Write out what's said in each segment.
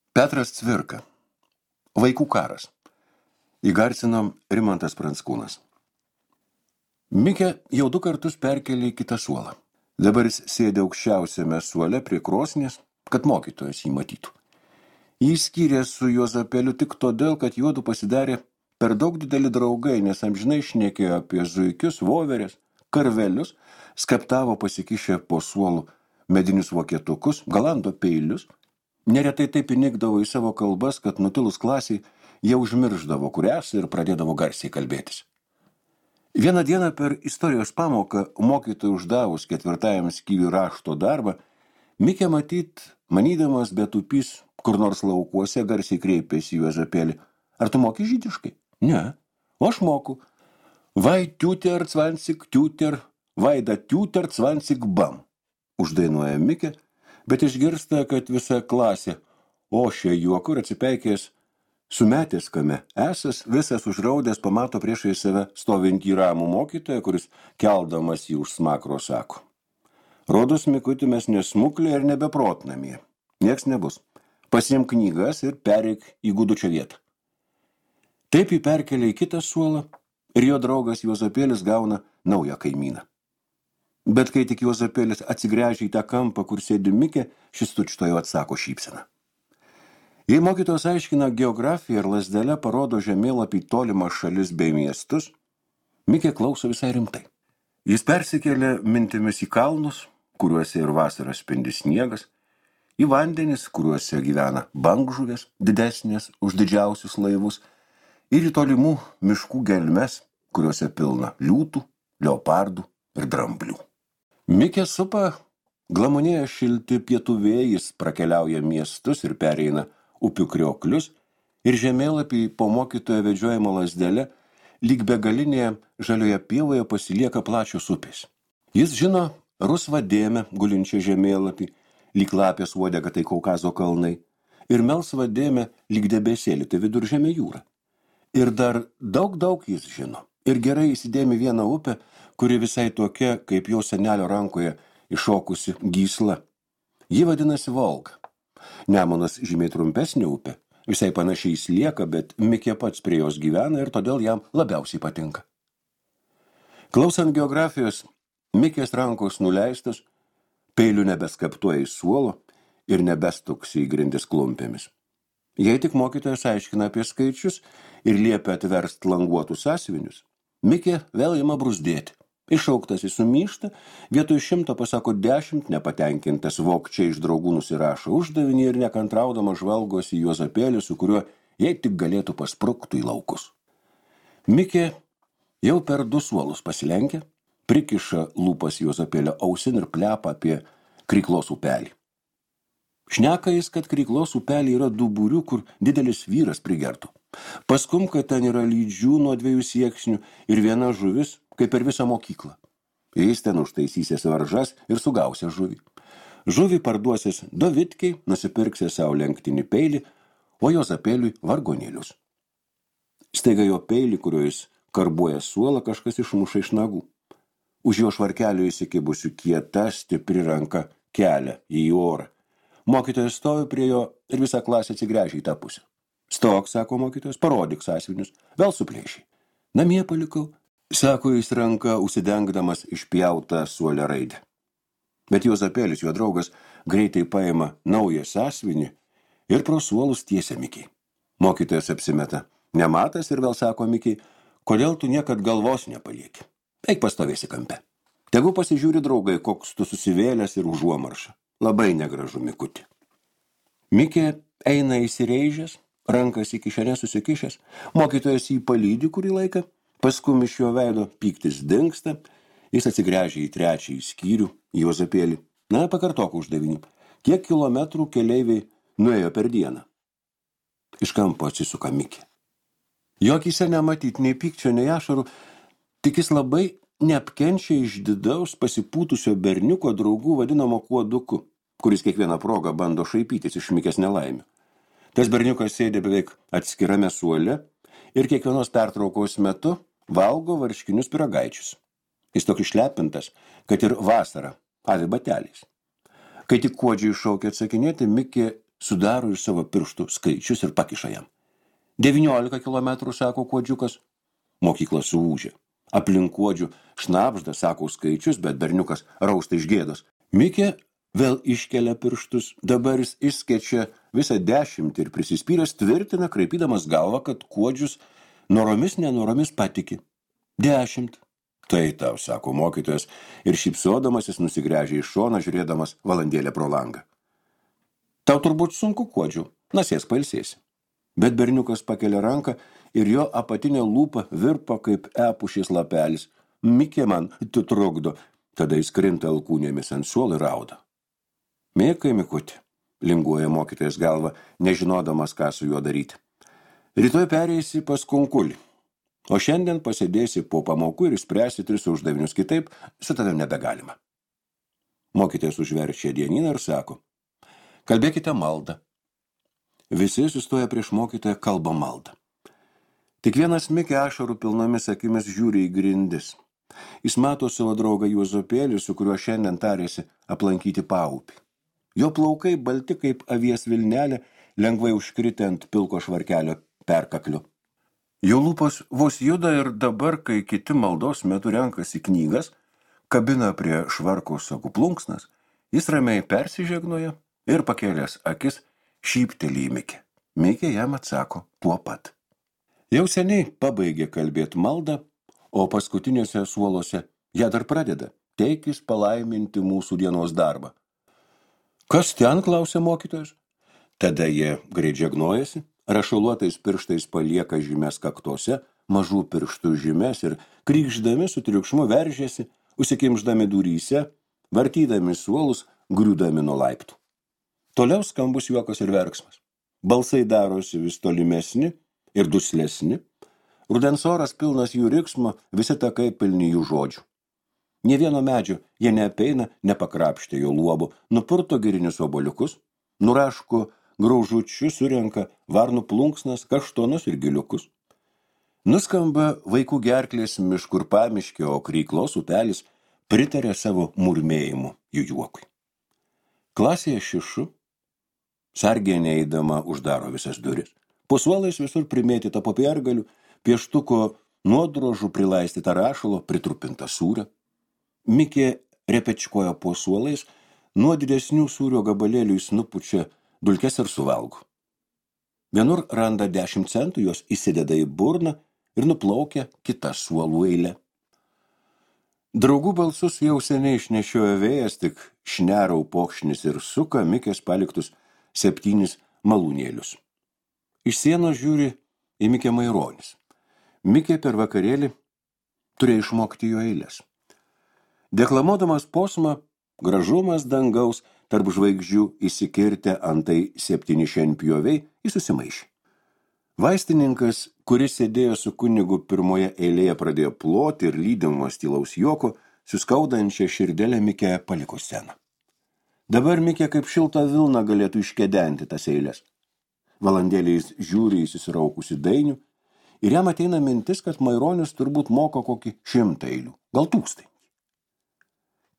Petras Cvirka. Vaikų karas. Įgarsino Rimantas Pranckūnas. Mikė jau 2 kartus perkėlė į kitą suolą. Dabar jis sėdė aukščiausiame suole prie krosnies, kad mokytojas jį matytų. Jį skyrė su Juozapėliu tik todėl, kad juodu pasidarė per daug dideli draugai, nes amžinai šnekėjo apie zuikius, voveres, karvelius, skaptavo pasikišę po suolų medinius vokietukus, galando peilius. Neretai taip įnikdavo į savo kalbas, kad nutilus klasiai jie užmirždavo, kur esą ir pradėdavo garsiai kalbėtis. Vieną dieną per istorijos pamoką mokytojui uždavus 4 skyriui rašto darbą, Mikė manydamas betupys kur nors laukuose, garsiai kreipėsi į Juozapėlį. Ar tu moki žydiškai? Ne. O aš moku. Vai tiuter, cvansik, tiuter, vaida tiuter, cvansik, bam. Uždainuoja Mikė, bet išgirsta, kad visa klasė ošia juoku ir atsipeikėjęs sumetęs kame esas, visas užraudęs pamato priešai save stovintį ramų mokytoją, kuris keldamas jį už smakro sako: rodos, Mikuti, mes nesmuklė ir nebeprotnamie. Nieks nebus. Pasiimk knygas ir pereik į Gudučio vietą. Taip jį perkelia į kitą suolą ir jo draugas Juozapėlis gauna naują kaimyną. Bet kai tik Juozapėlis atsigręžia į tą kampą, kur sėdi Mikė, šis tučtojo atsako šypseną. Jei mokytojas aiškina geografiją ir lazdele parodo žemėlapį tolimas šalis bei miestus, Mikė klauso visai rimtai. Jis persikėlė mintimis į kalnus, kuriuose ir vasarą spindi sniegas, į vandenis, kuriuose gyvena bangžuvės, didesnės už didžiausius laivus, ir į tolimų miškų gelmes, kuriuose pilna liūtų, leopardų ir dramblių. Mikė supa glamonėja šilti pietų vėjais, prakeliauja miestus ir pereina upių krioklius, ir žemėlapį po mokytojo vedžiojimo lazdele lyg begalinėje žalioje pievoje pasilieka plačios upės. Jis žino rusvą dėmę gulinčią žemėlapį, lyg lapės uodega tai Kaukazo kalnai, ir melsvą dėmę lyg debesėlį tai Viduržemio jūra. Ir dar daug jis žino. Ir gerai įsidėmi vieną upę, kuri visai tokia, kaip jo senelio rankoje iššokusi gysla. Ji vadinasi Volga. Nemunas žymiai trumpesnė upė, visai panašiai Slieka, bet Mikė pats prie jos gyvena ir todėl jam labiausiai patinka. Klausant geografijos, Mikės rankos nuleistos, peilių nebeskaptuoja į suolo ir nebestuksi į grindis klumpėmis. Jei tik mokytojas aiškina apie skaičius ir liepia atverst languotus sąsiuvinius, Mikė vėl ima bruzdėti. Iššauktas jis sumyšta, vietoj 100 pasako 10, nepatenkintas vokčiai iš draugų nusirašo uždavinį ir nekantraudama žvalgosi į Juozapėlį, su kuriuo jei tik galėtų paspruktų į laukus. Mikė jau per 2 suolus pasilenkia, prikiša lūpas Juozapėlio ausin ir plepa apie Kryklos upelį. Šneka jis, kad Kryklos upelį yra duburių, kur didelis vyras prigertų. Paskum, kad ten yra lydžių nuo 2 sieksnių ir viena žuvis, kaip per visą mokyklą. Jis ten užtaisysės varžas ir sugausės žuvį. Žuvį parduosės dovitkiai, nusipirksės savo lenktinį peilį, o Juozapėliui vargonėlius. Staiga jo peilį, kuriuo jis karbuoja suolą, kažkas išmuša iš nagų. Už jo švarkelio įsikibusių kieta, stipri ranka kelia į orą. Mokytojas stovi prie jo ir visą klasę atsigręžia į tą pusę. Stok, sako mokytojas, parodyk sąsiuvinius, vėl suplėšiai. Namie palikau, sako jis ranka, užsidengdamas išpjautą suolę raidę. Bet Juozapėlis, jo draugas, greitai paima naują sąsiuvinį ir pro suolus tiesia Mikei. Mokytojas apsimeta nematas ir vėl sako Mikei: kodėl tu niekad galvos nepalieki? Eik pastovėsi kampe. Tegu pasižiūri draugai, koks tu susivėlęs ir užuomarša. Labai negražu, Mikuti. Mikė eina įsireižęs, rankas į kišenę susikišęs, mokytojas jį palydi kurį laiką, paskum iš jo veido pyktis dingsta, jis atsigręžia į 3 skyrių, Juozapėlį. Na, pakartok uždavinį. Kiek kilometrų keleiviai nuėjo per dieną? Iš kampo atsisuka Mikė. Jo akyse nematyti nei pykčio, nei ašarų, tik jis labai neapkenčia išdidaus pasipūtusio berniuko draugų vadinamo Kuoduku, kuris kiekvieną progą bando šaipytis iš Mikės nelaimių. Tas berniukas sėdė beveik atskirame suole ir kiekvienos pertraukos metu valgo varškinius pyragaičius. Jis toks išlepintas, kad ir vasarą avi bateliais. Kai tik Kuodžiui šaukė atsakinėti, Mikė sudaro iš savo pirštų skaičius ir pakiša jam. 19 kilometrų, sako kuodžiukas. Mokykla suūžė. Aplink kuodžių šnabžda, sako skaičius, bet berniukas rausta iš gėdos. Mikė vėl iškelia pirštus, dabar jis išskečia visą 10 ir prisispyręs tvirtina, kraipydamas galvą, kad kuodžius noromis nenoromis patiki. 10. Tai tau, sako mokytojas, ir šypsodamasis nusigręžė iš šoną, žiūrėdamas valandėlę pro langą. Tau turbūt sunku, kuodžiu, nasės pailsėsi. Bet berniukas pakelia ranką ir jo apatinė lūpa virpa kaip epušės lapelis. Mikė man trukdo, tada jis krinta alkūnėmis ant suolo ir rauda. Mikai, Mikuti, linguoja mokytojas galva, nežinodamas, ką su juo daryti. Rytoj pereisi pas kunkulį, o šiandien pasėdėsi po pamokų ir spręsi 3 uždavinius, kitaip su tavim nebegalima. Mokytojas užverčia dienyną ir sako, kalbėkite maldą. Visi sustoja prieš mokytoją, kalba maldą. Tik vienas Mikė ašarų pilnomis akimis žiūri į grindis. Jis mato savo draugą Juozapėlį, su kuriuo šiandien tarėsi aplankyti paupį. Jo plaukai balti kaip avies vilnelė, lengvai užkritę ant pilko švarkelio perkakliu. Jo lūpos vos juda ir dabar, kai kiti maldos metu renkasi knygas, kabina prie švarko sagų plunksnas, jis ramiai persižegnoja ir pakėlęs akis šypteli į Mikį. Mikė jam atsako tuo pat. Jau seniai pabaigė kalbėti maldą, o paskutiniuose suoluose ją dar pradeda, teikis palaiminti mūsų dienos darbą. Kas ten, klausia mokytojas? Tada jie greit žegnojasi, rašaluotais pirštais palieka žymes kaktose, mažų pirštų žymes ir krykšdami su triukšmu veržėsi, užsikimždami duryse, vartydami suolus, griūdami nuo laiptų. Toliau skambus juokas ir verksmas. Balsai darosi vis tolimesni ir duslesni. Rudens oras pilnas jų riksmo, visi takai pilni jų žodžių. Nė vieno medžio jie neapeina, nepakrapštė jo luobo, nupurto girinius obuoliukus, nuraško graužučius, surenka varnų plunksnas, kaštonus ir giliukus. Nuskamba vaikų gerklės miškur pamiškė, o kryklos upelis pritarė savo murmėjimu jų juokui. Klasėje šišu, sargiai neįdama uždaro visas duris. Po suolais visur primėtyta popiergalių, pieštuko nuodrožų prilaistyta rašalo, pritrupinta sūrio. Mikė repečkoja po suolais, nuo didesnių sūrio gabalėlių jis nupučia dulkes ir suvalgo. Vienur randa 10 centų, jos įsideda į burną ir nuplaukia kitą suolų eilę. Draugų balsus jau seniai išnešiojo vėjas, tik šnerau pokšnis ir suka Mikės paliktus 7 malūnėlius. Iš sienos žiūri į Mikę Maironis. Mikė per vakarėlį turėjo išmokti jo eilės. Deklamuodamas posmą, gražumas dangaus tarp žvaigždžių įsikirtę antai 7 šienpjoviai, jis susimaišė. Vaistininkas, kuris sėdėjo su kunigu pirmoje eilėje, pradėjo ploti ir lydimas tylaus juoko, suskaudančią širdelę Mikė paliko sceną. Dabar Mikė kaip šiltą vilną galėtų iškedenti tas eilės. Valandėliais žiūri įsisiraukusi dainių ir jam ateina mintis, kad Maironis turbūt moka kokį 100 eilių, gal 1000.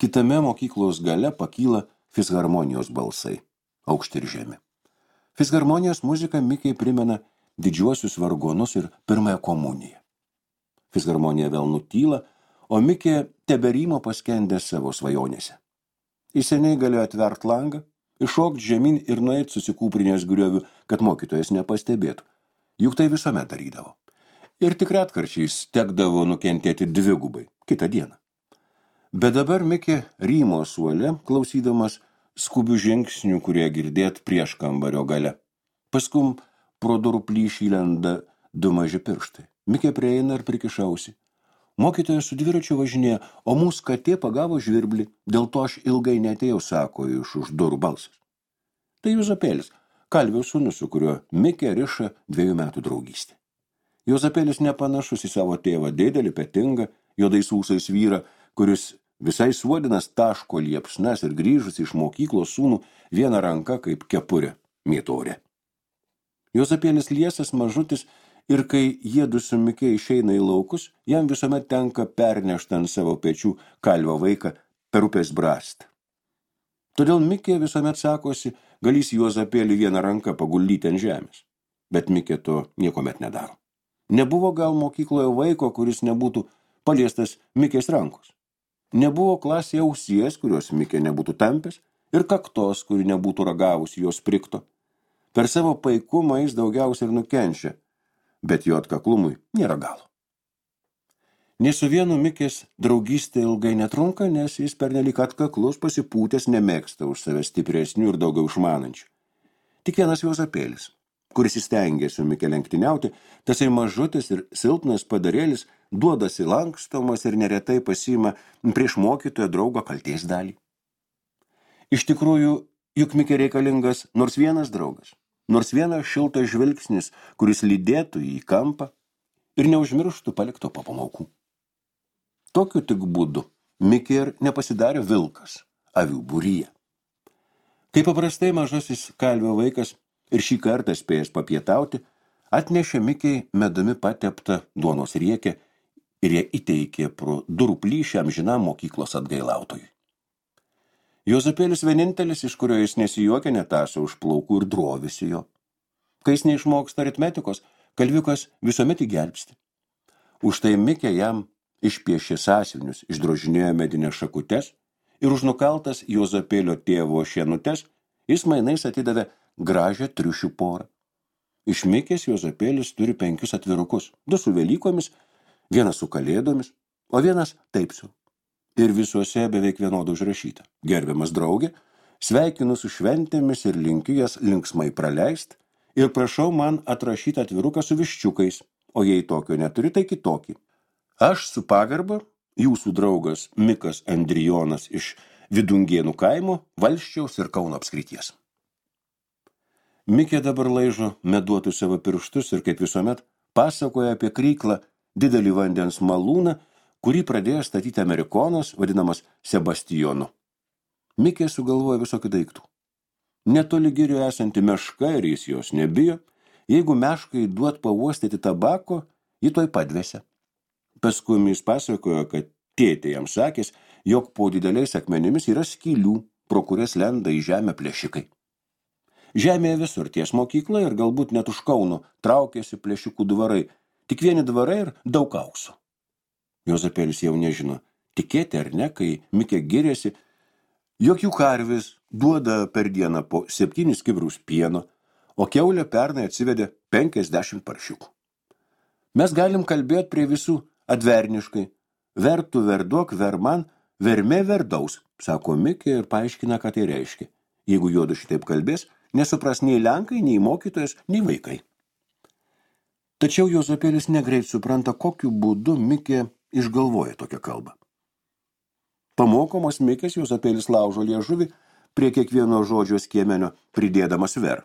Kitame mokyklos gale pakyla fisharmonijos balsai, aukšti ir žemi. Fisharmonijos muzika Mikei primena didžiuosius vargonus ir pirmąją komuniją. Fisharmonija vėl nutyla, o Mikė teberymo paskendęs savo svajonėse. Jis seniai galėjo atvert langą, iššokti žemyn ir nueit susikūprinės griovių, kad mokytojas nepastebėtų. Juk tai visuomet darydavo. Ir tik retkarčiais tekdavo nukentėti dvigubai kitą dieną. Bet dabar Mikė rymo suole, klausydamas skubių žingsnių, kurie girdėt prieš kambario gale. Paskum pro durų plyšį lenda 2 maži pirštai. Mikė prieina ir prikišausi. Mokytojas su dviračiu važinėja, o mūsų katė pagavo žvirblį, dėl to aš ilgai neatėjau, sako iš už durų balsas. Tai Juozapėlis, kalvio sūnus, su kuriuo Mikė riša 2 metų draugystė. Juozapėlis nepanašus į savo tėvą, didelį, petingą, juodais ūsais vyrą, kuris visai suodinas taško liepsnas ir grįžus iš mokyklos sūnų vieną ranką kaip kepurė mėtorė. Juozapėlis liesas mažutis ir kai jiedu su Mikė išeina į laukus, jam visuomet tenka pernešti ant savo pečių kalvio vaiką per upės brastą. Todėl Mikė visuomet sakosi, galys Juozapėlį vieną ranką paguldyti ant žemės. Bet Mikė to niekomet nedaro. Nebuvo gal mokykloje vaiko, kuris nebūtų paliestas Mikės rankos. Nebuvo klasėje ausies, kurios Mikė nebūtų tampęs, ir kaktos, kuri nebūtų ragavusi jos prikto. Per savo paikumą jis daugiausiai ir nukenčia, bet jo atkaklumui nėra galo. Nė su vienu Mikės draugystė ilgai netrunka, nes jis pernelyg atkaklus, pasipūtęs, nemėgsta už save stipresnių ir daugiau išmanančių. Tik vienas Juozapėlis, kuris įstengė su Mikė lenktyniauti, tasai mažutis ir silpnas padarėlis duodasi lankstomas ir neretai pasiima prieš mokytojo draugo kaltės dalį. Iš tikrųjų, juk Mikė reikalingas nors vienas draugas, nors vienas šiltas žvilgsnis, kuris lydėtų į kampą ir neužmirštų palikto po pamokų. Tokiu tik būdu Mikė ir nepasidarė vilkas avių būryje. Kaip paprastai mažasis kalvio vaikas ir šį kartą spėjęs papietauti, atnešė Mikei medumi pateptą duonos riekę ir ją įteikė pro durų plyšį amžinam mokyklos atgailautojui. Juozapėlis vienintelis, iš kurio jis nesijuokė, netaso už plaukų ir drovisi jo. Kai jis neišmoksta aritmetikos, kalviukas visuomet įgelbsti. Už tai Mikė jam išpiešė sąsiuvinius, išdrožinėjo medinės šakutes ir už nukaltas Juozapėlio tėvo šienutes jis mainais atidavė gražią triušių porą. Iš Mikės Juozapėlis turi 5 atvirukus, 2 su Velykomis, 1 su Kalėdomis, o 1 taip su. Ir visuose beveik vienodų užrašyta. Gerbiamas draugė, sveikinu su šventėmis ir linkiu jas linksmai praleist ir prašau man atrašyti atviruką su viščiukais, o jei tokio neturi, tai kitokį. Aš su pagarba, jūsų draugas Mikas Andrijonas iš Vidungėnų kaimo, Valsčiaus ir Kauno apskrities. Mikė dabar laižo meduotų savo pirštus ir kaip visuomet pasakoja apie kryklą didelį vandens malūną, kurį pradėjo statyti amerikonas, vadinamas Sebastijonu. Mikė sugalvoja visokių daiktų. Netoli girių esanti meška ir jis jos nebijo, jeigu meškai duot pauostyti tabako, ji toj padvėsia. Paskui jis pasakojo, kad tėtė jam sakės, jog po dideliais akmenimis yra skylių, pro kurias lenda į žemę plėšikai. Žemėje visur ties mokykla ir galbūt net už Kauno traukėsi plėšikų dvarai, tik vieni dvarai ir daug aukso. Juozapėlis jau nežino, tikėti ar ne, kai Mikė giriasi, jog jų karvis duoda per dieną po 7 kibirus pieno, o kiaulė pernai atsivedė 50 paršiukų. Mes galim kalbėti prie visų adverniškai, vertų verduok, verman, vermė verdaus, sako Mikė ir paaiškina, ką tai reiškia. Jeigu juodu šitaip kalbės, nesupras nei lenkai, nei mokytojas, nei vaikai. Tačiau Juozapėlis negreit supranta, kokiu būdu Mikė išgalvoja tokią kalbą. Pamokomas Mikės Juozapėlis laužo liežuvį prie kiekvieno žodžio skiemenio pridėdamas ver.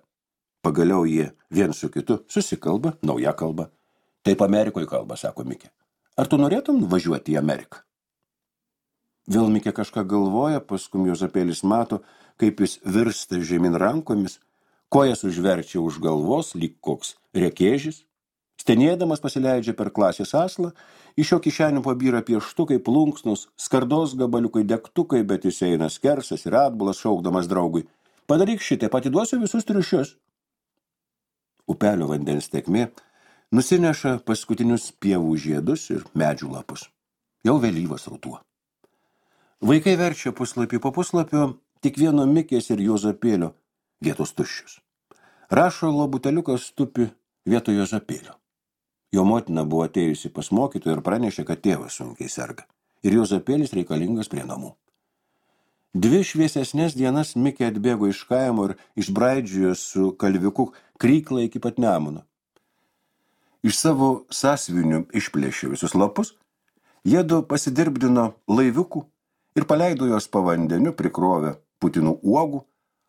Pagaliau jie vien su kitu susikalba nauja kalba. Taip Amerikoje kalba, sako Mikė. Ar tu norėtum važiuoti į Ameriką? Vėl Mikė kažką galvoja, paskui Juozapėlis mato, kaip jis virsta žemyn rankomis, kojas užverčia už galvos, lyg koks rekėžis. Stenėdamas pasileidžia per klasės aslą, iš jo kišenių pabyra pieštukai, plunksnus, skardos gabaliukai, degtukai, bet jis eina skersas ir atbulas šaukdamas draugui. Padaryk šitaip, atiduosiu visus triušius. Upelio vandens tekmė nusineša paskutinius pievų žiedus ir medžių lapus. Jau vėlyvas ruduo. Vaikai verčia puslapį po puslapio, tik vieno Mikės ir Juozapėlio vietos tuščius. Rašalo buteliukas tupi vietoj Juozapėlio. Jo motina buvo atėjusi pas mokytoją ir pranešė, kad tėvas sunkiai serga. Ir Juozapėlis reikalingas prie namų. 2 šviesesnės dienas Mikė atbėgo iš kaimo ir išbraidžiojo su kalviuku kryklą iki pat Nemuno. Iš savo sąsiuvinių išplėšė visus lapus, jiedu pasidirbdino laiviukų ir paleido jos po vandeniu, prikrovę putinų uogų,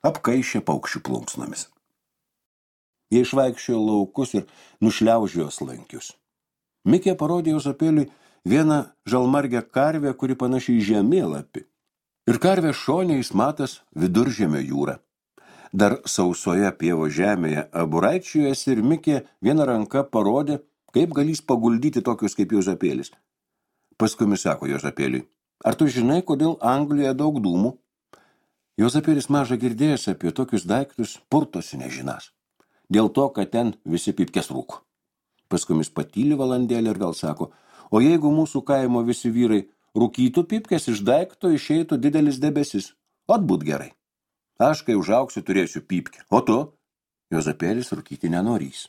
apkaišė paukščių plunksnomis. Jie išvaikščiojo laukus ir nušliaužiojo slankius. Mikė parodė Juozapėliui vieną žalmargę karvę, kuri panašiai į žemėlapį. Ir karvė šone jis matas Viduržemio jūrą. Dar sausoje pievo žemėje aburaičiuojasi ir Mikė vieną ranką parodė, kaip galys paguldyti tokius kaip Juozapėlis. Paskui sako Juozapėliui, ar tu žinai, kodėl Anglijoje daug dūmų? Juozapėlis maža girdėjęs apie tokius daiktus purtosi nežinas. Dėl to, kad ten visi pypkes rūko. Paskui jis patyli valandėlį ir vėl sako, o jeigu mūsų kaimo visi vyrai rūkytų pypkes, iš daikto išeitų didelis debesis. Ot būt gerai. Aš, kai užaugsiu, turėsiu pypkę. O tu? Juozapėlis rūkyti nenorys.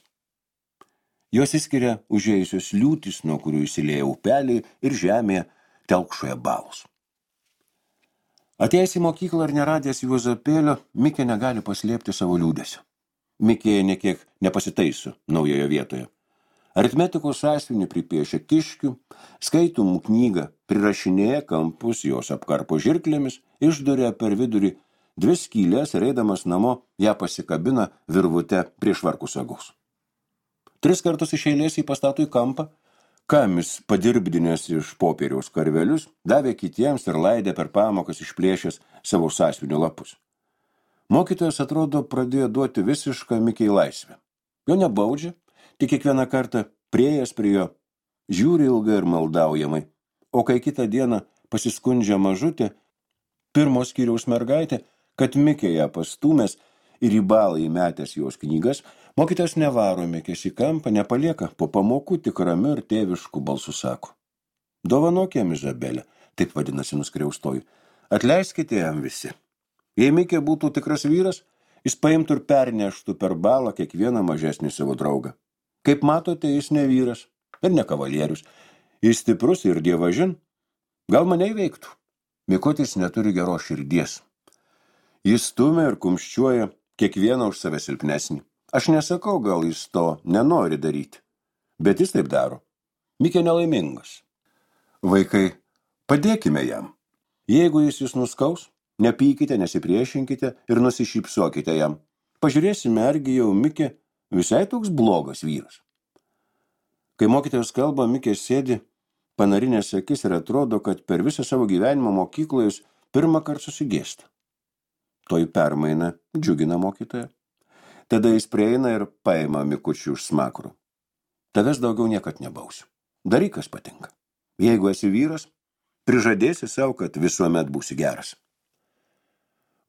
Jos įskiria užėjusios liūtis, nuo kurių įsilieja upeliai ir žemėje telkšoje balos. Atėjęs į mokyklą ir neradęs Juozapėlio, Mikė negali paslėpti savo liūdesio. Mikė nekiek nepasitaiso naujoje vietoje. Aritmetikos sąsiuvinį pripiešia kiškių, skaitomų knygą, prirašinėja kampus, jos apkarpo žirklėmis, išduria per vidurį 2 skylės ir eidamas namo ją pasikabina virvute prie švarkų sagus. 3 kartus iš eilės jį pastato į kampą, kamis padirbdinės iš popieriaus karvelius, davė kitiems ir laidė per pamokas išplėšęs savo sąsiuvinio lapus. Mokytojas atrodo pradėjo duoti visišką Mikei laisvę. Jo nebaudžia, tik kiekvieną kartą priėjęs prie jo, žiūri ilgai ir maldaujamai, o kai kitą dieną pasiskundžia mažutė, pirmo skyriaus mergaitė, kad Mikė ją pastūmęs ir į balą įmetęs jos knygas, mokytojas nevaro Mikės į kampą, nepalieka, po pamokų tik ramiu ir tėvišku balsu sako. Dovanok jam Izabelę, taip vadinasi nuskriaustoji, atleiskite jam visi. Jei Mikė būtų tikras vyras, jis paimtų ir perneštų per balą kiekvieną mažesnį savo draugą. Kaip matote, jis ne vyras ir ne kavalierius. Jis stiprus ir dievažin. Gal mane įveiktų. Mikutis neturi geros širdies. Jis stumia ir kumščiuoja kiekvieną už save silpnesnį. Aš nesakau, gal jis to nenori daryti, bet jis taip daro. Mikė nelaimingas. Vaikai, padėkime jam. Jeigu jis jūs nuskaus, nepykite, nesipriešinkite ir nusišypsokite jam. Pažiūrėsime, argi jau Mikė visai toks blogas vyras. Kai mokytojas kalba, Mikė sėdi, panarinės akis ir atrodo, kad per visą savo gyvenimą mokykloje jis pirmą kartą susigėsta. Toj permaina džiugina mokytoją. Tada jis prieina ir paima Mikučių už smakrų. Tavęs daugiau niekad nebausiu. Daryk, kas patinka. Jeigu esi vyras, prižadėsi savo, kad visuomet būsi geras.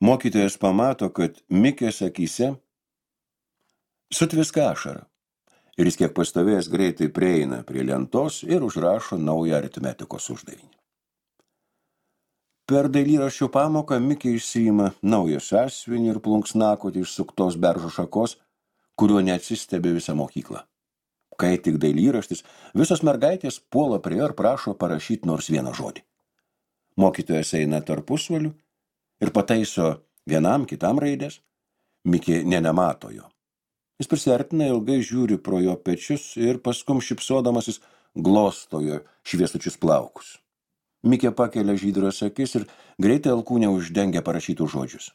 Mokytojas pamato, kad Mikės akyse sutviska ašara. Ir jis kiek pastovėjęs greitai prieina prie lentos ir užrašo naują aritmetikos uždavinį. Per dailyraščio pamoką Mikė išsiima naują sąsiuvinį ir plunksnakotį iš suktos beržo šakos, kuriuo neatsistebi visą mokyklą. Kai tik dailyraštis, visos mergaitės puola prie jo ir prašo parašyti nors vieną žodį. Mokytojas eina tarpusvaliu ir pataiso vienam kitam raidės. Mikė nemato jo. Jis prisiartina, ilgai žiūri pro jo pečius ir paskum šipsodamasis glosto jo šviesučius plaukus. Mikė pakelia žydras akis ir greitai alkūnę uždengia parašytų žodžius.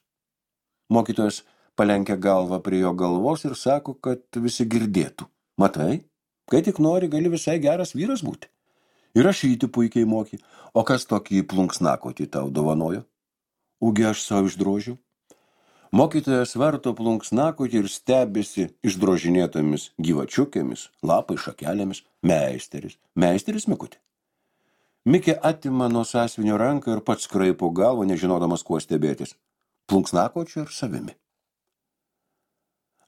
Mokytojas palenkia galvą prie jo galvos ir sako, kad visi girdėtų. Matai, kai tik nori, gali visai geras vyras būti. Ir rašyti puikiai moki. O kas tokį plunksnakotį tau dovanojo? Ugi aš savo išdrožiu. Mokytojas varto plunksnakotį ir stebisi išdrožinėtomis gyvačiukėmis, lapai šakelėmis. Meisteris Mikutė. Mikė atima nuo sąsiuvinio ranką ir pats kraipo galvą, nežinodamas kuo stebėtis. Plunksnakočiu ir savimi.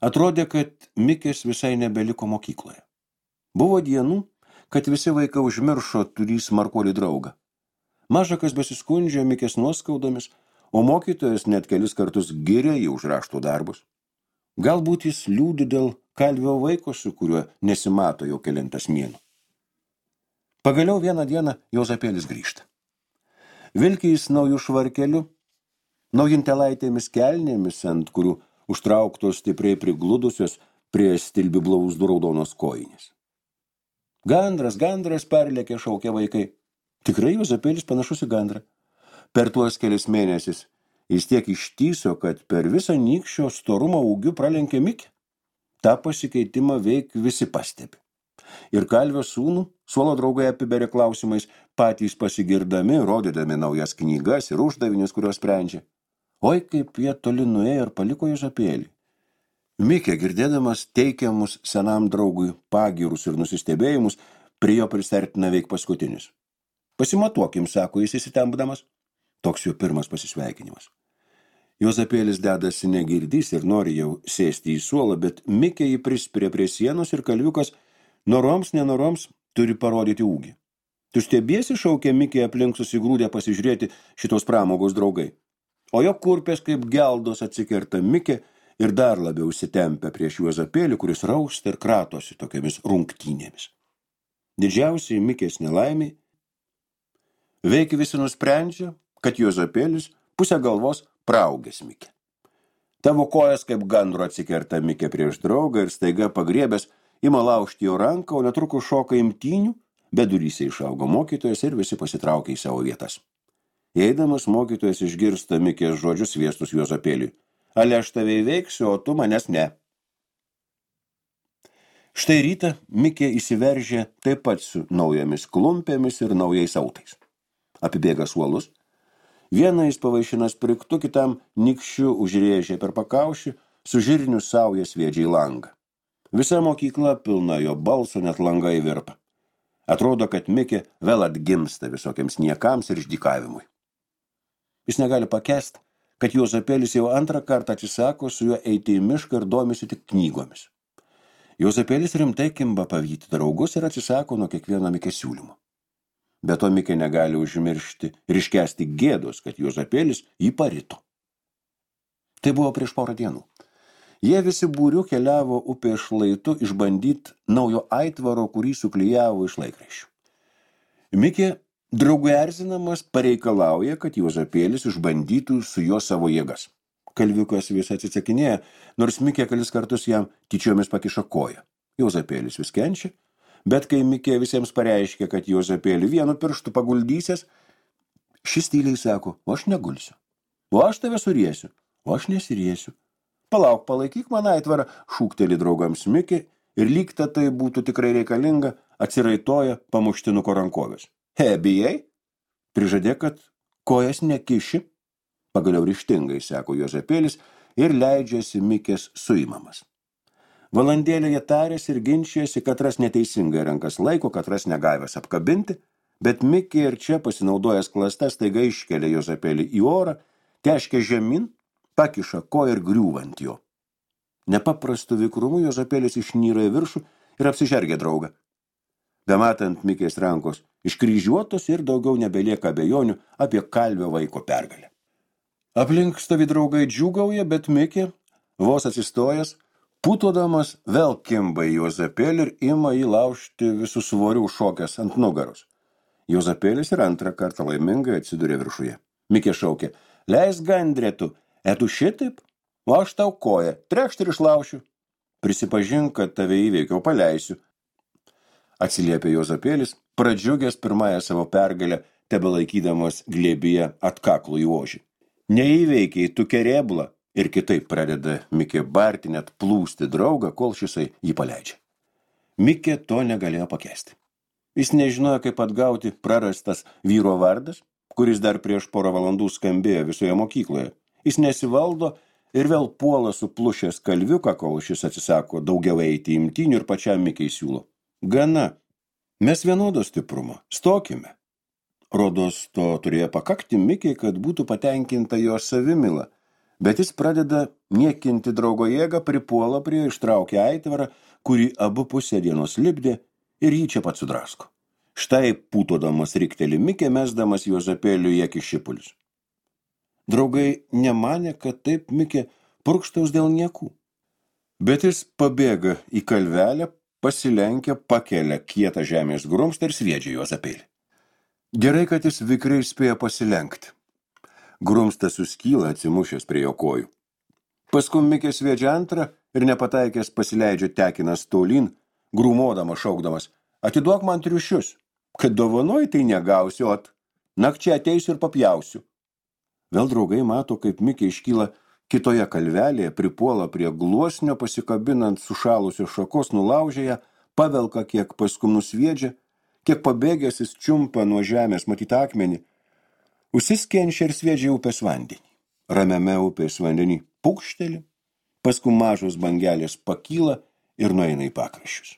Atrodė, kad Mikės visai nebeliko mokykloje. Buvo dienų, kad visi vaikai užmiršo turį smarkuolį draugą. Mažakas besiskundžia Mikės nuoskaudomis, o mokytojas net kelis kartus giria jį už rašto darbus. Galbūt jis liūdi dėl kalvio vaiko, su kuriuo nesimato jau kelintas mėnuo. Pagaliau vieną dieną Juozapėlis grįžta. Vilki jis naujų švarkelių, naujintelaitėmis kelnėmis, ant kurių užtrauktos stipriai prigludusios prie stilbių blauzdų raudonos kojinės. Gandras, perlėkė, šaukia vaikai. Tikrai Juozapėlis panašus į gandrą. Per tuos kelis mėnesius jis tiek ištyso, kad per visą nykščio storumo ūgių pralenkė Mikį. Ta pasikeitimą veik visi pastebi. Ir kalvio sūnų suolo draugai apiberia klausimais, patys pasigirdami, rodydami naujas knygas ir uždavinius, kurios sprendžia. Oi, kaip jie toli nuėjo ir paliko Juozapėlį. Mikė, girdėdamas teikiamus senam draugui pagyrus ir nusistebėjimus, prie jo prisertina veik paskutinis. Pasimatuokim, sako jis įsitempdamas. Toks jo pirmas pasisveikinimas. Juozapėlis dedasi negirdys ir nori jau sėsti į suolą, bet Mikė jį prispiria prie sienos ir kalviukas nenoroms turi parodyti ūgį. Tu stebiesi, šaukė Mikė aplink susigrūdę pasižiūrėti šitos pramogos draugai. O jo kurpės kaip geldos atsikerta Mikė ir dar labiau įsitempia prieš Juozapėlį, kuris rausta ir kratosi tokiamis rungtynėmis. Didžiausiai Mikės nelaimiai veiki visi nusprendžia, kad Juozapėlis pusę galvos praaugęs Mikė. Tavo kojas kaip gandro atsikerta Mikė prieš draugą ir staiga pagriebęs ima laužti jo ranką, o netrukus šoka imtynių, bet duryse išaugo mokytojas ir visi pasitraukia į savo vietas. Eidamas mokytojas išgirsta Mikės žodžius sviestus Juozapėliui. Ale aš tave įveiksiu, o tu manęs ne. Štai rytą Mikė įsiveržė taip pat su naujomis klumpėmis ir naujais autais. Apibėga suolus. Vieną jis pavaišina spriktu, kitam nikščiu užrėžė per pakaušį, su žirniu sauja sviedžia į langą. Visa mokykla pilna jo balso, net langai virpa. Atrodo, kad Mikė vėl atgimsta visokiams niekams ir išdykavimui. Jis negali pakęsti, kad Juozapėlis jau antrą kartą atsisako su juo eiti į mišką ir domisi tik knygomis. Juozapėlis rimtai kimba pavyti draugus ir atsisako nuo kiekvieno Mikės siūlymo. Be to Mikė negali užmiršti ir iškęsti gėdos, kad Juozapėlis jį parito. Tai buvo prieš porą dienų. Jie visi būriu keliavo upės šlaitu išbandyti naujo aitvaro, kurį suklijavo iš laikraščių. Mikė, draugui erzinamas, pareikalauja, kad Juozapėlis išbandytų su juo savo jėgas. Kalviukas vis atsisakinėja, nors Mikė kelis kartus jam tyčiomis pakiša koją. Juozapėlis vis kenčia, bet kai Mikė visiems pareiškia, kad Juozapėlį vienu pirštu paguldysies, šis tyliai sako, o aš negulsiu, o aš tave suriesiu, o aš nesiriesiu. Palauk, palaikyk man aitvarą, šūkteli draugams Mikė ir lyg tai būtų tikrai reikalinga, atsiraitoja pamuštinuko rankovės. Bijai? Prižadė, kad kojas nekiši. Pagaliau ryžtingai, sako Juozapėlis ir leidžiasi Mikės suimamas. Valandėlę jie tarėsi ir ginčijasi, katras neteisingai rankas laiko, katras negavęs apkabinti, bet Mikė ir čia pasinaudojęs klasta staiga iškelia Juozapėlį į orą, teškia žemyn, pakiša koją ir griūva ant jo. Nepaprastu vikrumu Juozapėlis išnyra į viršų ir apsižergia draugą. Bematant Mikės rankos iškryžiuotos ir daugiau nebelieka abejonių apie kalvio vaiko pergalę. Aplink stovi draugai džiūgauja, bet Mikė, vos atsistojęs, putodamas vėl kimba į Juozapėlį ir ima jį laužti visų svorių šokęs ant nugaros. Juozapėlis ir antrą kartą laimingai atsidūrė viršuje. Mikė šaukė, leis gandrėtų, etu šitaip, o aš tau koją, trekšt ir išlaušiu. Prisipažink, kad tave įveikiau, paleisiu. Atsiliepė Juozapėlis, pradžiugęs pirmąją savo pergalę, tebelaikydamas glėbyje atkaklų į ožį. Neįveikiai, tu kerėbla. Ir kitaip pradeda Mikė barti, net plūsti draugą, kol šisai jį paleidžia. Mikė to negalėjo pakęsti. Jis nežinojo, kaip atgauti prarastas vyro vardas, kuris dar prieš porą valandų skambėjo visoje mokykloje. Jis nesivaldo ir vėl puola suplušęs kalviuką, kol šis atsisako daugiau eiti imtynių ir pačiam Mikei siūlo. Gana, mes vienodo stiprumo, stokime. Rodos to turėjo pakakti Mikei, kad būtų patenkinta jo savimila, bet jis pradeda niekinti draugo jėgą, pripuola prie ištraukia aitvarą, kurį abu pusę dienos lipdė ir jį čia pat sudrasko. Štai putodamas rikteli Mikė, mesdamas Juozapėliui į akis šipulius. Draugai nemanė, kad taip Mikė purkštaus dėl niekų. Bet jis pabėga į kalvelę, pasilenkia, pakelia kietą žemės grumstą ir sviedžia Juozapėlį. Gerai, kad jis vikriai spėjo pasilenkti. Grumstas suskyla atsimušęs prie jo kojų. Paskui Mikė sviedžia antrą ir nepataikęs pasileidžia tekinas tolyn, grūmodamas, šaukdamas, atiduok man triušius, kad dovanoj tai negausiu, nakčia ateisiu ir papjausiu. Vėl draugai mato, kaip Mikė iškyla kitoje kalvelėje, pripuola prie gluosnio, pasikabinant sušalusios šakos, nulaužia ją, pavelka kiek paskui nusviedžia, kiek pabėgęs jis čiumpa nuo žemės matytą akmenį, užsiskenčia ir sviedžia upės vandenį. Ramiame upės vandenį pukšteli, paskui mažos bangelės pakyla ir nueina į pakraščius.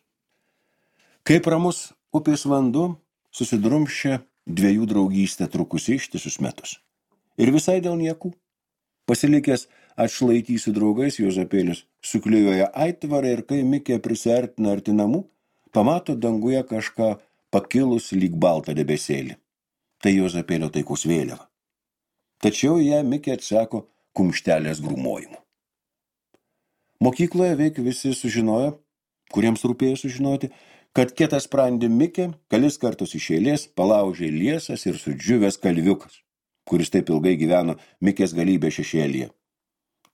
Kaip ramus upės vanduo susidrumščia dviejų draugystę trukusi ištisus metus. Ir visai dėl niekų. Pasilikęs atšlaitį su draugais, Juozapėlis suklijuoja aitvarą ir kai Mikė prisiartina arti namų, pamato danguje kažką pakilus lyg baltą debesėlį. Tai Juozapėlio taikos vėliava. Tačiau ją Mikė atsako kumštelės grūmojimu. Mokykloje veik visi sužinojo, kuriems rūpėjo sužinoti, kad kietasprandį Mikė kelis kartus iš eilės palaužė liesas ir sudžiuvęs kalviukas, kuris taip ilgai gyveno Mikės galybė šešėlyje.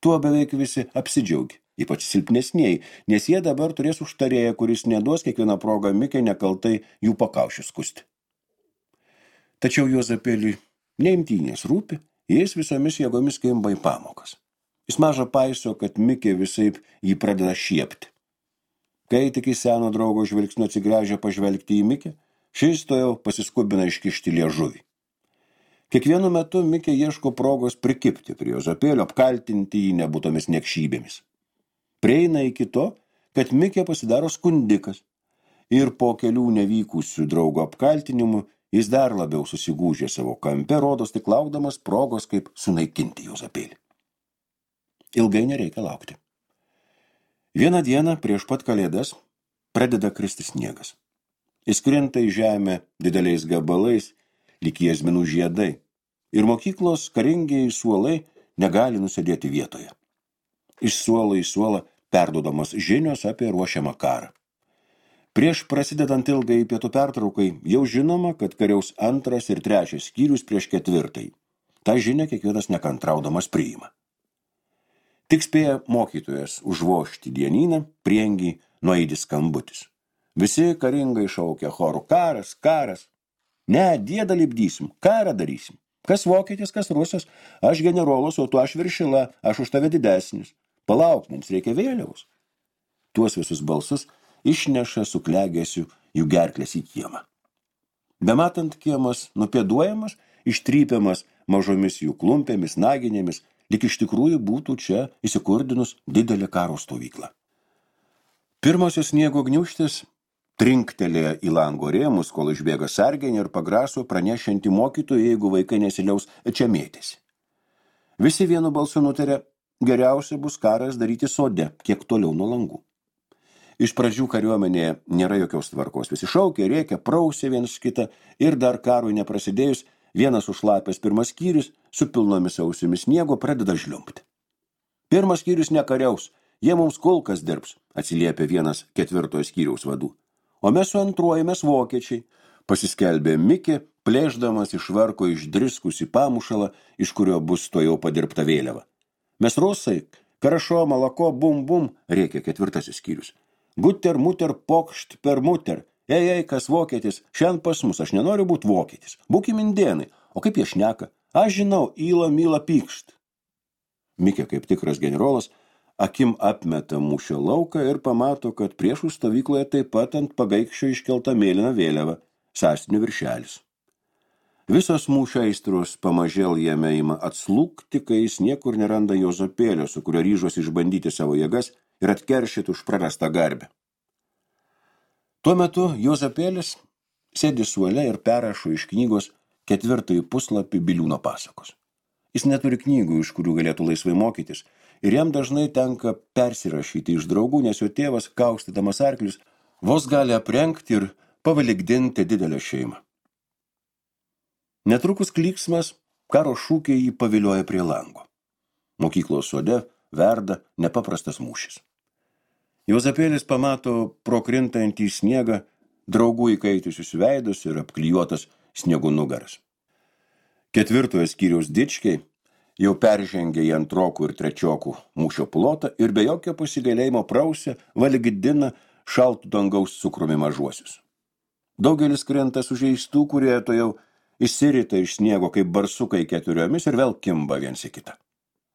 Tuo beveik visi apsidžiaugė, ypač silpnesnieji, nes jie dabar turės užtarėją, kuris neduos kiekvieną progą Mikė nekaltai jų pakaušius skusti. Tačiau Juozapėliui neimtynės rūpi, jis visomis jėgomis kimba į pamokas. Jis maža paiso, kad Mikė visaip jį pradeda šiepti. Kai tik į seno draugo žvilgsnio atsigręžia pažvelgti į Mikę, šis to jau pasiskubina iškišti liežuvį. Kiekvienu metu Mikė ieško progos prikipti prie Juozapėlio, apkaltinti jį nebūtomis niekšybėmis. Prieina iki to, kad Mikė pasidaro skundikas ir po kelių nevykusių draugo apkaltinimų jis dar labiau susigūžė savo kampe, rodos tik laukdamas progos, kaip sunaikinti Juozapėlį. Ilgai nereikia laukti. Vieną dieną prieš pat kalėdas pradeda kristi sniegas. Jis krinta į žemę dideliais gabalais, lyg jazminų žiedai, ir mokyklos karingieji suolai negali nusėdėti vietoje. Iš suolo į suolą perduodamos žinios apie ruošiamą karą. Prieš prasidedant ilgai pietų pertraukai jau žinoma, kad kariaus 2. ir 3. skyrius prieš 4. Ta žinia kiekvienas nekantraudamas priima. Tik spėja mokytojas užvožti dienyną, priengiai nueidis skambutis. Visi karingai šaukia choru: karas, karas. Ne, diedą lipdysim, karą darysim. Kas vokietis, kas rusas, aš generolas, o tu aš viršila, aš už tave didesnis. Palauk, mums reikia vėliavos. Tuos visus balsus išneša su klegesiu jų gerklės į kiemą. Bematant kiemas nupėduojamas, ištrypiamas mažomis jų klumpėmis, naginėmis, lyg iš tikrųjų būtų čia įsikurdinus didelę karo stovyklą. Pirmosios sniego gniūžtės trinktelėjo į lango rėmus, kol išbėga sargenė ir pagraso pranešianti mokytojui, jeigu vaikai nesiliaus čia mėtėsi. Visi vienu balsu nutarė, geriausia bus karas daryti sode, kiek toliau nuo langų. Iš pradžių kariuomenėje nėra jokios tvarkos, visi šaukė, rėkė, prausė vienas kitą ir dar karui neprasidėjus, vienas užšlapęs pirmas skyrius su pilnomis ausimis sniego pradeda žliumpti. Pirmas skyrius nekariaus, jie mums kulkas dirbs, atsiliepė vienas 4. skyriaus vadų. O mes su 2. mes vokiečiai, pasiskelbė Mikė, plėšdamas iš varko išdriskusį pamušalą, iš kurio bus to jau padirbta vėliava. Mes rusai, karašo, malako, bum, bum, rėkė 4. skyrius. Guter, muter, pokšt per muter. Ei, kas vokietis, šiandien pas mus, aš nenoriu būti vokietis. Būkim indėnai, o kaip jie šneka? Aš žinau, įla, myla, pykšt. Mikė, kaip tikras generolas, akim apmeta mūšio lauką ir pamato, kad priešų stovykloje taip pat ant pagaikščio iškelta mėlyna vėliava, sąstinių viršelis. Visos mūšio aistros pamažėl jame ima atslūgti, kai jis niekur neranda Juozapėlio, su kurio ryžosi išbandyti savo jėgas ir atkeršyti už prarastą garbę. Tuo metu Juozapėlis sėdi suole ir perrašo iš knygos 4. puslapį Biliūno pasakos. Jis neturi knygų, iš kurių galėtų laisvai mokytis, ir jam dažnai tenka persirašyti iš draugų, nes jo tėvas, kaustydamas arklius, vos gali aprengti ir pavalikdinti didelę šeimą. Netrukus klyksmas, karo šūkiai jį pavilioja prie lango. Mokyklos sode verda nepaprastas mūšis. Juozapėlis pamato pro krintantį sniegą draugų įkaitusius veidus ir apklijuotas sniegų nugaras. 4. skyriaus dičkiai jau peržengė į 2. ir 3. mūšio plotą ir be jokio pasigailėjimo prausė, valgydina šaltų dangaus cukrumi mažuosius. Daugelis krenta sužeistų, kurie to jau išsirita iš sniego kaip barsukai 4 ir vėl kimba viens į kitą.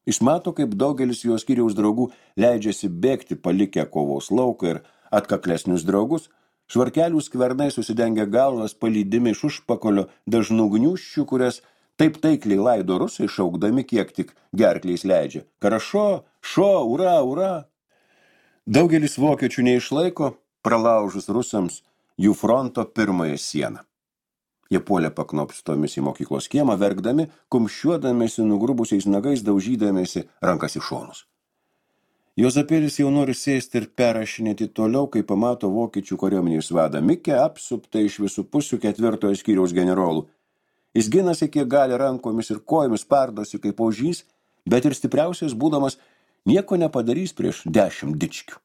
Jis mato, kaip daugelis jo skyriaus draugų leidžiasi bėgti palikę kovos lauką ir atkaklesnius draugus, švarkelių skvernai susidengia galvas palydimi iš užpakalio dažnų gniūžčių, kurias taip taikliai laido rusai, šaukdami kiek tik gerkliais leidžia. Karašo, šo, ura, ura. Daugelis vokiečių neišlaiko, pralaužus rusams jų fronto pirmąją sieną. Jie puolė paknopstomis į mokyklos kiemą, verkdami, kumščiuodamėsi nugrubusiais nagais, daužydamėsi rankas į šonus. Juozapėlis jau nori sėsti ir perrašinėti toliau, kai pamato vokiečių kariuomenės vadą Mikę apsuptą iš visų pusių 4 skyriaus generolų. Jis ginasi, kiek gali rankomis ir kojomis, pardosi kaip ožys, bet ir stipriausias būdamas nieko nepadarys prieš 10 dičkių.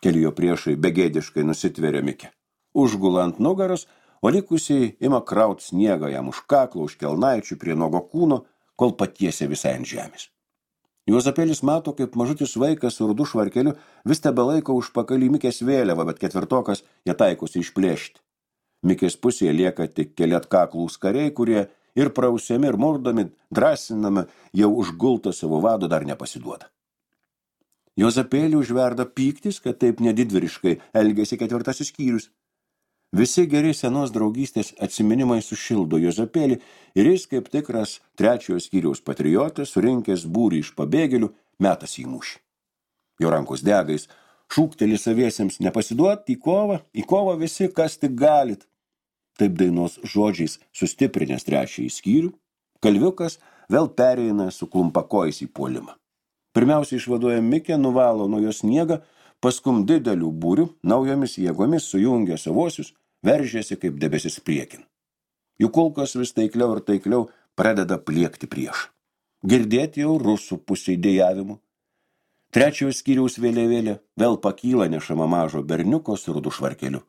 Keli jo priešai begėdiškai nusitveria Mikę. Užgula ant nugaros, o likusiai ima kraut sniegą jam už kaklo, už kelnaičių prie nuogo kūno, kol patiesia visai ant žemės. Juozapėlis mato, kaip mažutis vaikas su rudu švarkeliu vis tebelaiko užpakalį Mikės vėliavą, bet 4 ją taikosi išplėšti. Mikės pusėje lieka tik keli atkaklūs kariai, kurie ir prausiami, ir murdomi, drąsinami, jau užgultą savo vado dar nepasiduoda. Juozapėlį užverda pyktis, kad taip nedidvyriškai elgėsi 4 skyrius. Visi geri senos draugystės atsiminimai sušildo Juozapėlį ir jis kaip tikras 3 skyriaus patriotas, surinkęs būrį iš pabėgėlių, metas į mūšį. Jo rankos degais, šūkteli saviesiems nepasiduoti į kovą visi, kas tik galit. Taip dainos žodžiais sustiprinęs 3 skyrių, kalviukas vėl pereina su klumpakojais į puolimą. Pirmiausia išvaduoja Mikę, nuvalo nuo jos sniegą, paskum didelių būrių, naujomis jėgomis sujungia savosius, veržėsi kaip debesis priekin. Jų kulkos vis taikliau ir taikliau pradeda pliekti prieš. Girdėti jau rusų pusiai dėjavimų. 3 skyriaus vėliavėlė vėl pakyla nešama mažo berniuko su rudu švarkeliu.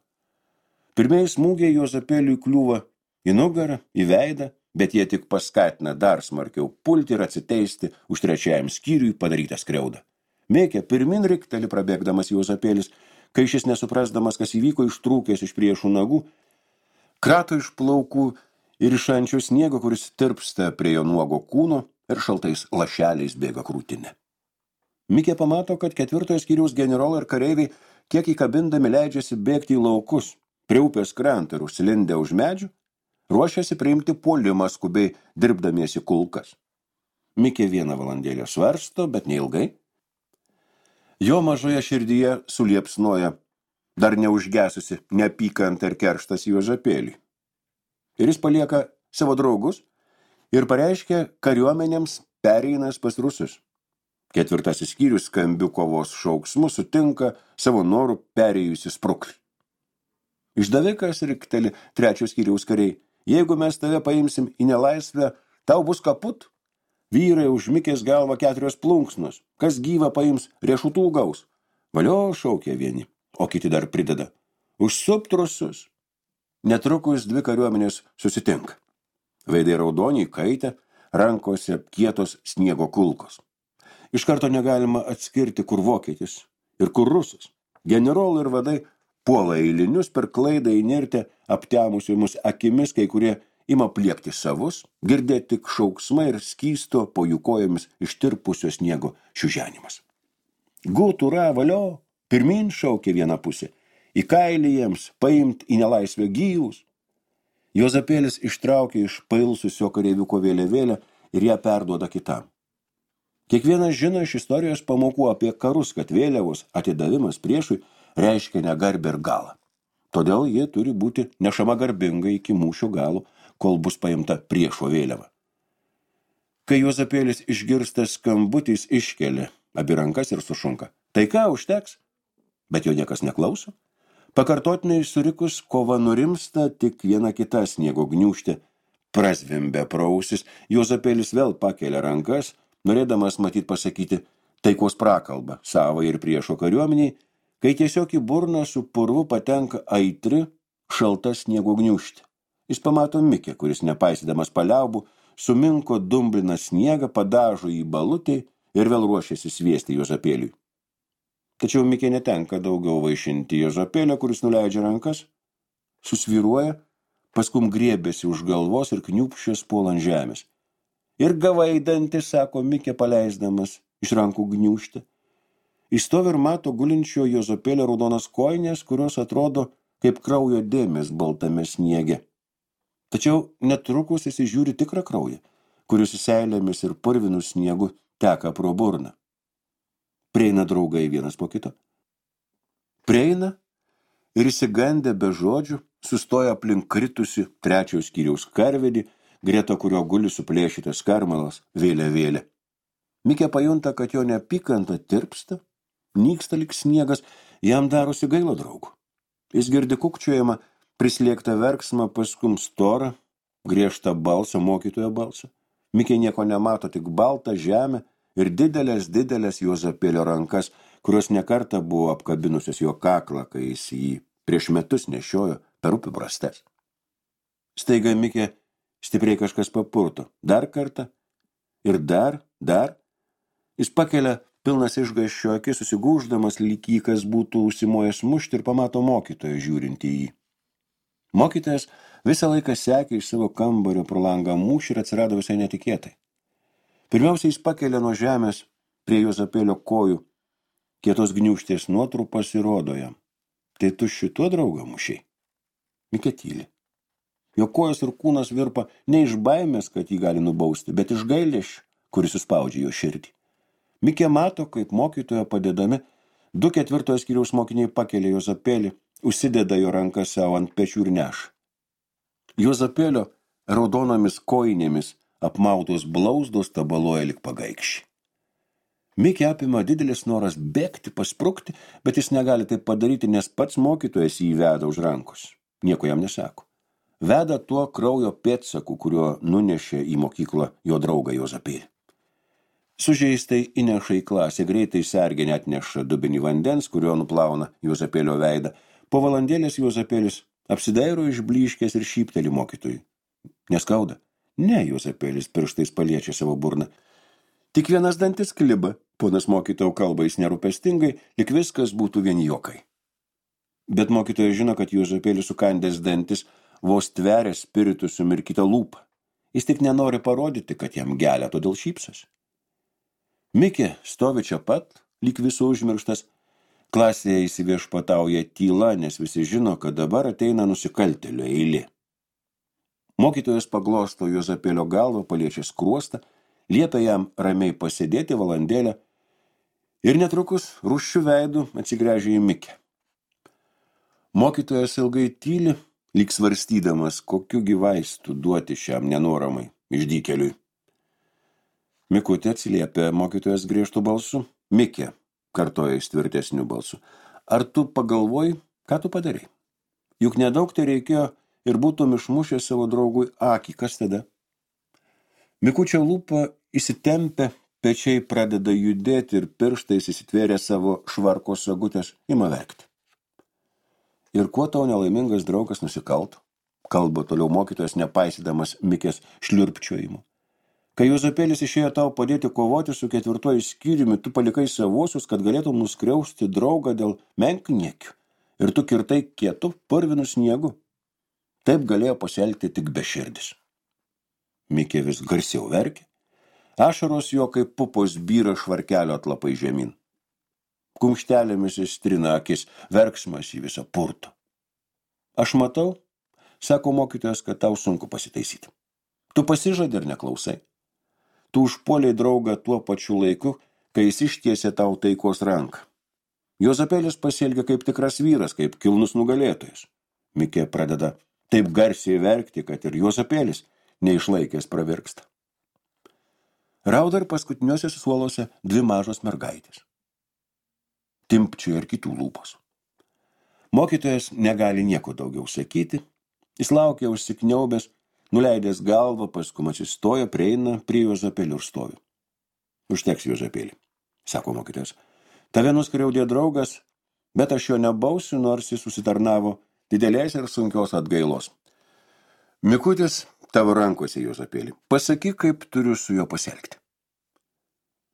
Pirmieji smūgiai Juozapėliui kliūva į nugarą, į veidą, bet jie tik paskatina dar smarkiau pulti ir atsiteisti už 3 skyriui padarytą skriaudą. Mikė pirmin rikteli prabėgdamas Juozapėlis, kai šis nesuprasdamas, kas įvyko, ištrūkęs iš priešų nagų, krato iš plaukų ir iš ančio sniego, kuris tirpsta prie jo nuogo kūno ir šaltais lašeliais bėga krūtinė. Mikė pamato, kad 4 skyriaus generolai ir kareiviai kiek įkabindami leidžiasi bėgti į laukus, prie upės krantą ir užsilindę už medžių, ruošiasi priimti puolimą skubiai dirbdamiesi kulkas. Mikė 1 valandėlę svarsto, bet neilgai. Jo mažoje širdyje suliepsnoja dar neužgesusi neapykanta ir kerštas Juozapėliui. Ir jis palieka savo draugus ir pareiškia kariuomenėms pereinas pas rusus. 4 skyrius skambių kovos šauksmu sutinka savo norų perėjusi spruklį. Išdavikas rikteli 3 skyriaus kariai, jeigu mes tave paimsim į nelaisvę, tau bus kaput. Vyrai už Mikės galvą 4 plunksnos, kas gyvą paims riešutų gaus. Valio, šaukia vieni, o kiti dar prideda. Užsupt rusus. Netrukus 2 kariuomenės susitinka. Veidai raudoniai kaitę, rankose kietos sniego kulkos. Iš karto negalima atskirti, kur vokietis ir kur rusas. Generolai ir vadai puola eilinius per klaidą įnirtę aptemusiomis akimis, kai kurie ima pliekti savus, girdėti tik šauksmai ir skysto po jų kojomis ištirpusio sniego šiuženimas. Gutura, valio, pirmin šaukė viena pusė, į kailį jiems paimt į nelaisvę gyvus. Juozapėlis ištraukė iš pailsusio kareiviuko vėliavėlę ir ją perduoda kitam. Kiekvienas žino iš istorijos pamokų apie karus, kad vėliavos atidavimas priešui reiškia negarbę ir galą. Todėl jie turi būti nešama garbingai iki mūšio galo, kol bus paimta priešo vėliava. Kai Juozapėlis išgirsta skambutis, iškelia abi rankas ir sušunka. Tai ką, užteks? Bet jo niekas neklauso. Pakartotinai surikus kova nurimsta, tik viena kita sniego gniūžtė prazvimbia pro ausis. Juozapėlis vėl pakelia rankas, norėdamas matyt pasakyti taikos prakalbą savai ir priešo kariuomeniai, kai tiesiog į burną su purvu patenka aitri, šalta sniego gniūžtė. Jis pamato Mikę, kuris nepaisydamas paliaubų, suminko dumbliną sniegą, padažo į balutį ir vėl ruošiasi sviesti Juozapėliui. Tačiau Mikė netenka daugiau vaišinti Juozapėlio, kuris nuleidžia rankas, susvyruoja, paskum griebėsi už galvos ir kniūpščias puola ant žemės. Ir gavai dantį, sako Mikė, paleisdamas iš rankų gniūžtę. Jis stovi ir mato gulinčio Juozapėlio raudonas kojinės, kurios atrodo kaip kraujo dėmės baltame sniege. Tačiau netrukus jis žiūri tikrą kraują, kuris seilėmis ir purvinų sniegu teka pro burną. Prieina draugai vienas po kito. Prieina ir įsigandę be žodžių sustoja aplink kritusi 3 skyriaus karvedį, greta kurio guli suplėšytas karmalas vėliavėlė. Mikė pajunta, kad jo neapykanta tirpsta, nyksta lyg sniegas, jam darosi gaila draugų. Jis girdi kukčiojimą, prislėgtą verksmą, paskum storą, griežtą balsą, mokytojo balsą. Mikė nieko nemato, tik baltą žemę ir didelės Juozapėlio rankas, kurios nekartą buvo apkabinusios jo kaklą, kai jis jį prieš metus nešiojo per upių brastes. Staiga Mikė stipriai kažkas papurto. Dar kartą ir dar. Jis pakelia pilnas išgąsčio akis, susigūždamas, lyg jį kas būtų užsimojęs mušti, ir pamato mokytoją žiūrintį į jį. Mokytojas visą laiką sekė iš savo kambario pro langą mūšį ir atsirado visai netikėtai. Pirmiausia, jis pakelia nuo žemės prie Juozapėlio kojų kietos gniūžtės nuotrupas ir rodo jam. Tai tu šituo draugą mušiai? Mikė tyli. Jo kojos ir kūnas virpa ne iš baimės, kad jį gali nubausti, bet iš gailesčio, kuris suspaudžia jo širdį. Mikė mato, kaip mokytojo padedami 2/4 skyriaus mokiniai pakelia Juozapėlį, užsideda jo rankas savo ant pečių ir neša. Juozapėlio raudonomis kojinėmis apmautos blauzdos tabaloja lik pagaikščiai. Mikė apima didelis noras bėgti, pasprukti, bet jis negali taip padaryti, nes pats mokytojas jį veda už rankos. Nieko jam nesako. Veda tuo kraujo pėdsaku, kurio nunešė į mokyklą jo draugą Juozapėlį. Sužeistai įneša į klasę, greitai serginė atneša dubinį vandens, kurio nuplauna Juozapėlio veidą. Po valandėlės Juozapėlis apsidairo išblyškęs ir šypteli mokytojui. Neskauda? Ne, Juozapėlis pirštais paliečia savo burną. Tik vienas dantis kliba, ponas mokytojau kalba jis nerūpestingai, lyg viskas būtų vien juokai. Bet mokytojas žino, kad Juozapėlis sukandęs dantis vos tveria spiritu sumirkytą lūpą. Jis tik nenori parodyti, kad jam gelia, todėl šypsosi. Mikė stovi čia pat, lyg visų užmirštas. Klasėje įsiviešpatauja tyla, nes visi žino, kad dabar ateina nusikaltėlio eilė. Mokytojas paglosto Juozapėlio galvą, paliečia skruostą, liepia jam ramiai pasėdėti valandėlę ir netrukus rūsčiu veidu atsigręžia į Mikę. Mokytojas ilgai tyli, lyg svarstydamas, kokiu vaistų duoti šiam nenoramai išdykeliui. Mikutė atsiliepia mokytojas griežtų balsu. Mikė, kartoja jis tvirtesniu balsu. Ar tu pagalvoji, ką tu padarei? Juk nedaug tai reikėjo ir būtum išmušęs savo draugui akį. Kas tada? Mikučio lūpa įsitempia, pečiai pradeda judėti ir pirštais įsitvėrė savo švarko sagutės, ima verkti. Ir kuo tau nelaimingas draugas nusikalto? Kalba toliau mokytojas, nepaisydamas Mikės šliurpčiojimų. Kai Juozapėlis išėjo tau padėti kovoti su 4 skyriumi, tu palikai savuosius, kad galėtum nuskriausti draugą dėl menkniekių. Ir tu kirtai kietu, purvinu sniegu. Taip galėjo pasielgti tik beširdis. Mikė vis garsiau verkė. Ašaros jo kaip pupos byra švarkelio atlapai žemyn. Kumštelėmis įstrina akis, verksmas į visą purto. Aš matau, sako mokytojas, kad tau sunku pasitaisyti. Tu pasižadi ir neklausai. Tu užpuoliai draugą tuo pačiu laiku, kai jis ištiesė tau taikos ranką. Juozapėlis pasielgia kaip tikras vyras, kaip kilnus nugalėtojas. Mikė pradeda taip garsiai verkti, kad ir Juozapėlis neišlaikęs pravirksta. Rauda ir paskutiniuose suoluose 2 mažos mergaitės. Timpčioja ir kitų lūpos. Mokytojas negali nieko daugiau sakyti. Jis laukia užsikniaubęs, nuleidęs galvą, paskui atsistoja, prieina prie Juozapėlio ir stovi. Užteks, Juozapėlį, sako mokytojas. Tave nuskriaudė draugas, bet aš jo nebausiu, nors jis susitarnavo didelės ir sunkios atgailos. Mikutis tavo rankose, Juozapėlį. Pasakyk, kaip turiu su juo pasielgti.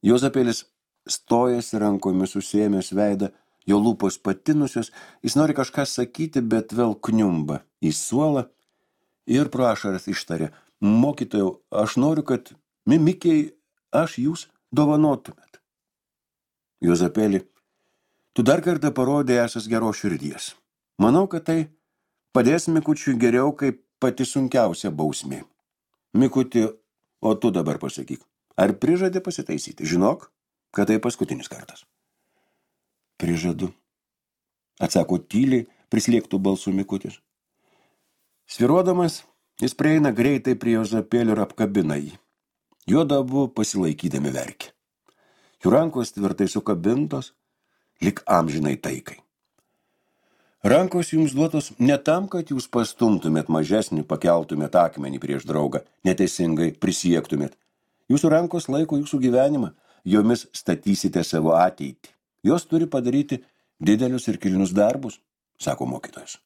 Juozapėlis stojasi rankomis susėmęs veidą, jo lūpos patinusios, jis nori kažką sakyti, bet vėl kniumba į suolą ir pro ašaras ištarė. Mokytojau, aš noriu, kad Mikei aš jūs dovanotumėt. Juozapėlį, tu dar kartą parodė esas geros širdies. Manau, kad tai padės Mikučiui geriau, kaip pati sunkiausia bausmė. Mikuti, o tu dabar pasakyk, ar prižadi pasitaisyti? Žinok, kad tai paskutinis kartas. Prižadu, atsako tyliai, prislėgtų balsų Mikutis. Sviruodamas, jis prieina greitai prie Juozapėlio ir apkabina jį. Juodu abu pasilaikydami verkė. Jų rankos tvirtai sukabintos, lyg amžinai taikai. Rankos jums duotos ne tam, kad jūs pastumtumėt mažesnį, pakeltumėt akmenį prieš draugą, neteisingai prisiektumėt. Jūsų rankos laiko jūsų gyvenimą, jomis statysite savo ateitį. Jos turi padaryti didelius ir kilnius darbus, sako mokytojas.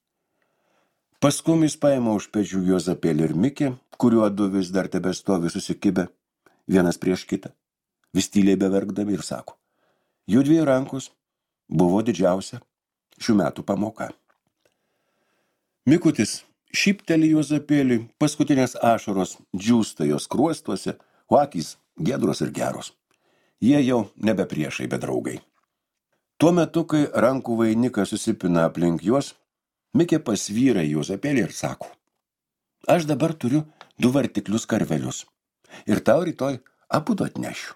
Paskui jis paima už pečių Juozapėlį ir Mikę, kuriuo du vis dar tebestovi susikibę, vienas prieš kitą, vis tyliai beverkdami ir sako, jųdviejų rankos buvo didžiausia šių metų pamoka. Mikutis šypteli Juozapėliui, paskutinės ašaros džiūsta jos skruostuose, o akys giedros ir geros. Jie jau nebe priešai, bet draugai. Tuo metu, kai rankų vainikas susipina aplink juos, Mikė pasvyra Juozapėlį ir sako, aš dabar turiu 2 vartiklius karvelius ir tau rytoj abudu atnešiu.